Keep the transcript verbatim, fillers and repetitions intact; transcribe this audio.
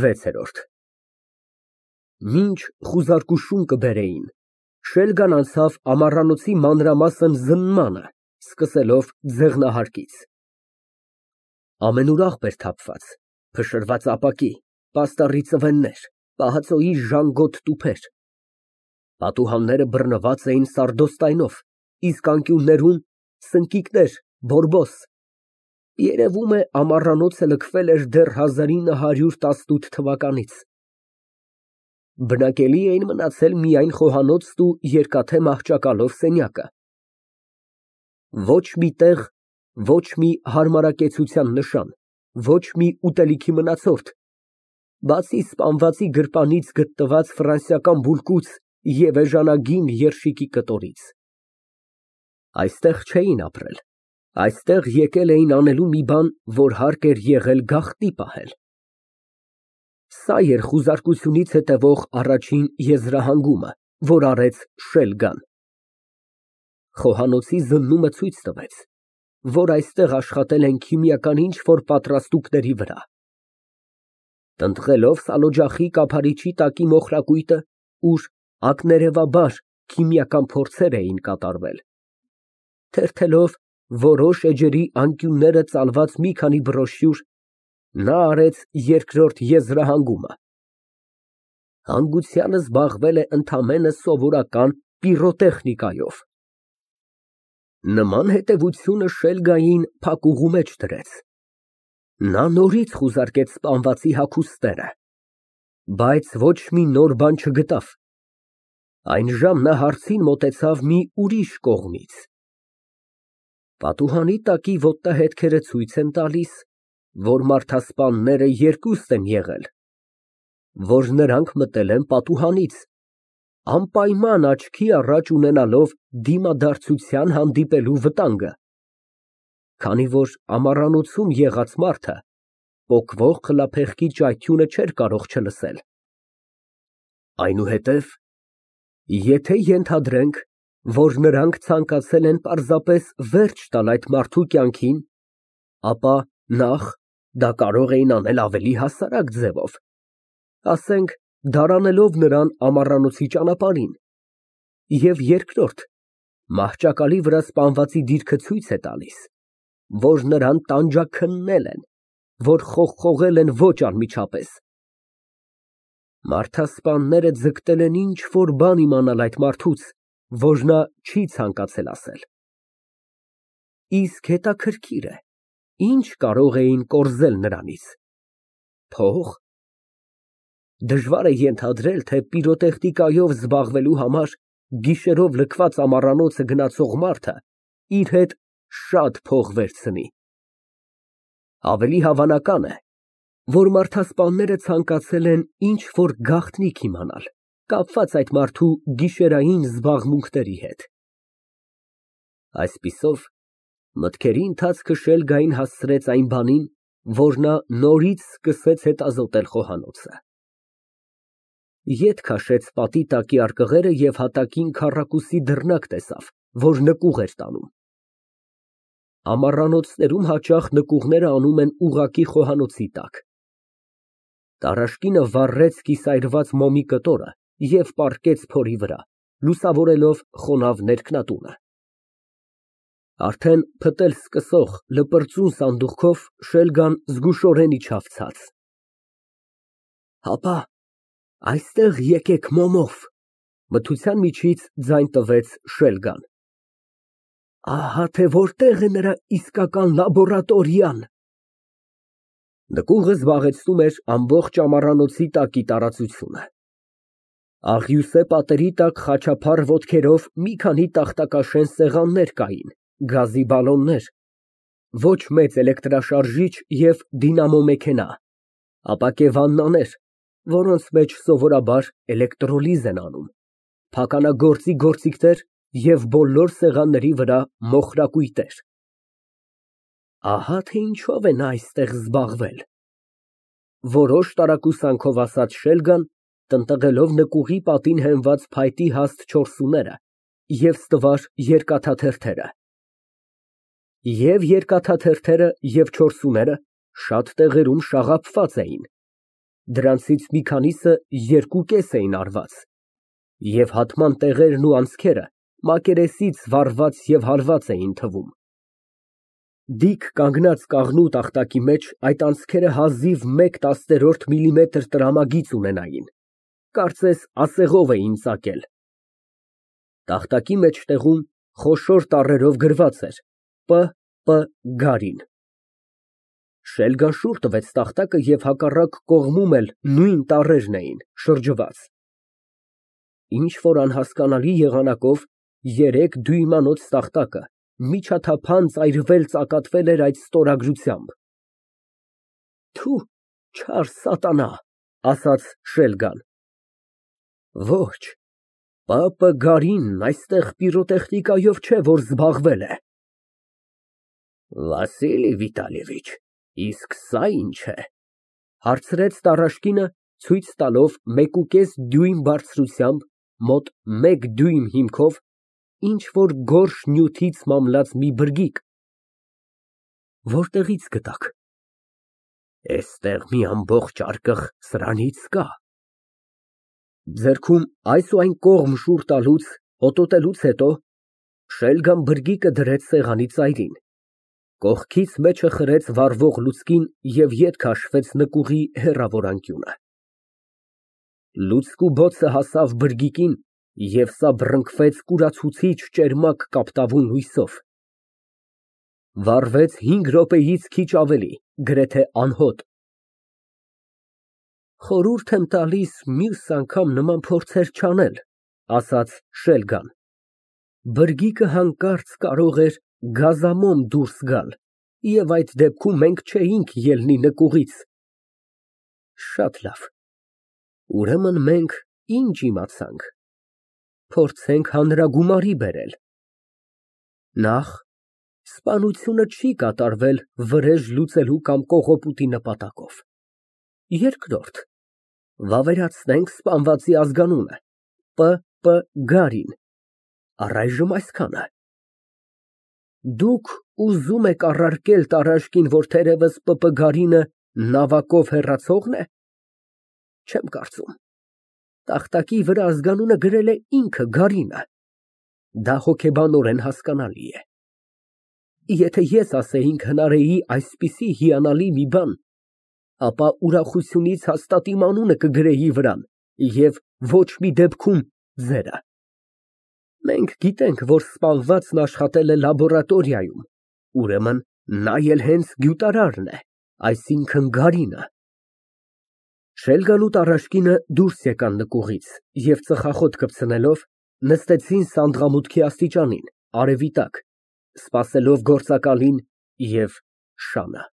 վեցերորդ Մինչ խուզարկուշուն կբերեին, Շելգան անցավ ամառանոցի մանրամասն զննմանը, սկսելով ձեղնահարկից. ամենուրախ էր թափված, փշրված ապակի, պաստառի ծվեններ, պահածոյի ժանգոտ տուփեր, պատուհանները բռնված էին սարդոստայնով, իսկ անկյուններում սնկիկներ, բորբոս, երևում է ամառանոցը լքվել էր դեռ հազար ինը հարյուր տասնութ թվականից։ Բնակելի էին մնացել միայն խոհանոցն ու երկաթե մահճակալով սենյակը։ Ոչ մի տեղ, ոչ մի հարմարակեցության նշան, ոչ մի ուտելիքի մնացորդ, բացի սպանվածի գրպանից գտնված ֆրանսիական բուլկուց և էժանագին երշիկի կտորից։ Այստեղ չէին ապրել, այստեղ եկել էին անելու մի բան, որ հարկ էր եղել գաղտնի պահել։ Սա էր խուզարկությունից հետևող առաջին եզրահանգումը, որ արեց Շելգան։ Խոհանոցի զննումը ցույց տվեց, որ այստեղ աշխատել են քիմիական ինչ֊որ պատրաստուկների վրա։ Տնտղելով սալօջախի կափարիչի տակի մոխրակույտը, ուր ակներևաբար քիմիական փորձեր էին կատարվել, թերթելով որոշ էջերի անկյունները ծալված մի քանի բրոշյուր, նա արեց երկրորդ եզրահանգումը։ Հանգուցյալը զբաղվել է ընդամենը սովորական պիրոտեխնիկայով։ Նման հետևությունը Շելգային փակուղու մեջ դրեց։ Նա նորից խուզարկեց սպանվածի հագուստները, բայց ոչ մի նոր բան չգտավ։ Այնժամ նա հարցին մոտեցավ մի ուրիշ կողմից։ Պատուհանի տակի ոտնահետքերը ցույց են տալիս, որ մարդասպանները երկուստ են եղել, որ նրանք մտել են պատուհանից, անպայման աչքի առաջ ունենալով դիմադարձության հանդիպելու վտանգը, քանի որ ամառանոցում եղած մարդը պոկվող խլափեղկի ճայթյունը չէր կարող չլսել։ Այնուհետև, եթե ենթադրենք, որ նրանք ցանկացել են պարզապես վերջ տալ այդ մարդու կյանքին, ապա նախ, դա կարող էին անել ավելի հասարակ ձևով, ասենք, դարանելով նրան ամառանոցի ճանապարհին, և երկրորդ, մահճակալի վրա սպանվածի դիրքը ցույց է տալիս, որ նրան տանջաքննել են, որ խողխողել են ոչ անմիջապես։ Մարդասպանները ձգտել են ինչ֊որ բան իմանալ այդ մարդուց, որ նա չի ցանկացել ասել։ Իսկ հետաքրքիր է, ինչ կարող էին կորզել նրանից։ Փող։ Դժվար է ենթադրել, թե պիրոտեխնիկայով զբաղվելու համար գիշերով լքված ամառանոցը գնացող մարդը իր հետ շատ փող վերցնի։ Ավելի հավանական է, որ մարդասպանները ցանկացել են ինչ֊որ գաղտնիք իմանալ, կապված այդ մարդու գիշերային զբաղմունքների հետ։ Այսպիսով, մտքերի ընթացքը Շելգային հասցրեց այն բանին, որ նա նորից սկսեց հետազոտել խոհանոցը։ Ետ քաշեց պատի տակի արկղերը և հատակին քառակուսի դռնակ տեսավ, որ նկուղ էր տանում։ Ամառանոցներում հաճախ նկուղները անում են ուղղակի խոհանոցի տակ։ Տարաշկինը վառեց կիսայրված մոմի կտորը և պառկեց փորի վրա, լուսավորելով խոնավ ներքնատունը։ Արդեն փտել սկսող լպրծուն սանդուղքով Շելգան զգուշորեն իջավ ցած։ Հապա, այստեղ եկեք մոմով, մթության միջից ձայն տվեց Շելգան։ Ահա թե որտեղ է նրա իսկական լաբորատորիան։ Նկուղը զբաղեցնում էր ամբողջ ամառանոցի տակի տարածությունը։ Աղյուսե պատերի տակ խաչափառ ոտքերով մի քանի տախտակաշեն սեղաններ կային, գազի բալոններ, ոչ մեծ էլեկտրաշարժիչ և դինամո մեքենա, ապակե վաննաներ, որոնց մեջ սովորաբար էլեկտրոլիզ են անում, փականագործի գործիքներ և բոլոր սեղանների վրա մոխրակույտեր։ Ահա թե ինչով է նա այստեղ զբաղվել, որոշ տարակուսանքով ասաց Շելգան, տնտղելով նկուղի պատին հենված փայտի հաստ չոր սյուները և ստվար երկաթաթերթերը։ Եվ երկաթաթերթերը, և չոր սյուները շատ տեղերում շաղափված էին։ Դրանցից մի քանիսը երկու կես էին արված, և հատման տեղերն ու անցքերը մակերեսից վառված և հալված էին թվում։ Դիք կանգնած կաղնու տախտակի մեջ այդ անցքերը հազիվ մեկ տասներորդ միլիմետր տրամագիծ ունենային, կարծես ասեղով էին ծակել։ Տախտակի մեջտեղում խոշոր տառերով գրված էր Պ. Պ. Գարին։ Շելգան շուռ տվեց տախտակը և հակառակ կողմում էլ նույն տառերն էին, շրջված։ Ինչ֊որ անհասկանալի եղանակով երեք դյույմանոց տախտակը միջաթափանց այրվել֊ծակատվել էր այդ ստորագրությամբ։ Թու, չար սատանա, ասաց Շելգան։ Ոչ, Պ. Պ. Գարինն այստեղ պիրոտեխնիկայով չէ, որ զբաղվել է։ Վասիլի Վիտալիևիչ, իսկ սա ի՞նչ է, հարցրեց տառաշկինը, ցույց տալով մեկուկես դյույմ բարձրությամբ, մոտ մեկ դյույմ հիմքով, ինչ֊որ գորշ նյութից մամլած մի բրգիկ։ Որտեղի՞ց գտաք։ Էստեղ մի ամբողջ արկղ սրանից կա։ Ձեռքում այս ու այն կողմ շուռ տալուց, հոտոտելուց հետո Շելգան բրգիկը դրեց սեղանի ծայրին, կողքից մեջը խրեց վառվող լուցկին և ետ քաշվեց նկուղի հեռավոր անկյունը։ Լուցկու բոցը հասավ բրգիկին և սա բռնկվեց կուրացուցիչ ճերմակ կապտավուն լույսով։ Վառվեց հինգ րոպեից քիչ ավելի, գրեթե անհոտ։ Խորհուրդ եմ տալիս մյուս անգամ նման փորձեր չանել, ասաց Շելգան։ Բրգիկը հանկարծ կարող էր գազամոմ դուրս գալ, և այդ դեպքում մենք չէինք ելնի նկուղից։ Շատ լավ, ուրեմն մենք ինչ իմացանք, փորձենք հանրագումարի բերել։ Նախ, սպանությունը չի կատարվել վրեժ լուծելու կամ կողոպուտի նպատակով։ Երկրորդ, վավերացնենք սպանվածի ազգանունը՝ Պ. Պ. Գարին, առայժմ այսքանը։ Դուք ուզում եք առարկել տառաշկին, որ թերևս Պ. Պ. Գարինը նավակով հեռացողն է։ Չեմ կարծում, տախտակի վրա ազգանունը գրել է ինքը Գարինը, դա հոգեբանորեն հասկանալի է։ Եթե ես ասեինք հնարեի այսպիսի հիանալի մի բան, ապա ուրախությունից հաստատ իմ անունը կգրեի վրան և ոչ մի դեպքում ձերը։ Մենք գիտենք, որ սպանվածն աշխատել է լաբորատորիայում, ուրեմն նա էլ հենց գյուտարարն է, այսինքն Գարինը։ Շելգան ու տառաշկինը դուրս եկան նկուղից և ծխախոտ կպցնելով, նստեցին սանդղամուտքի աստիճանին, արևի տակ, սպասելով գործակալին և շանը։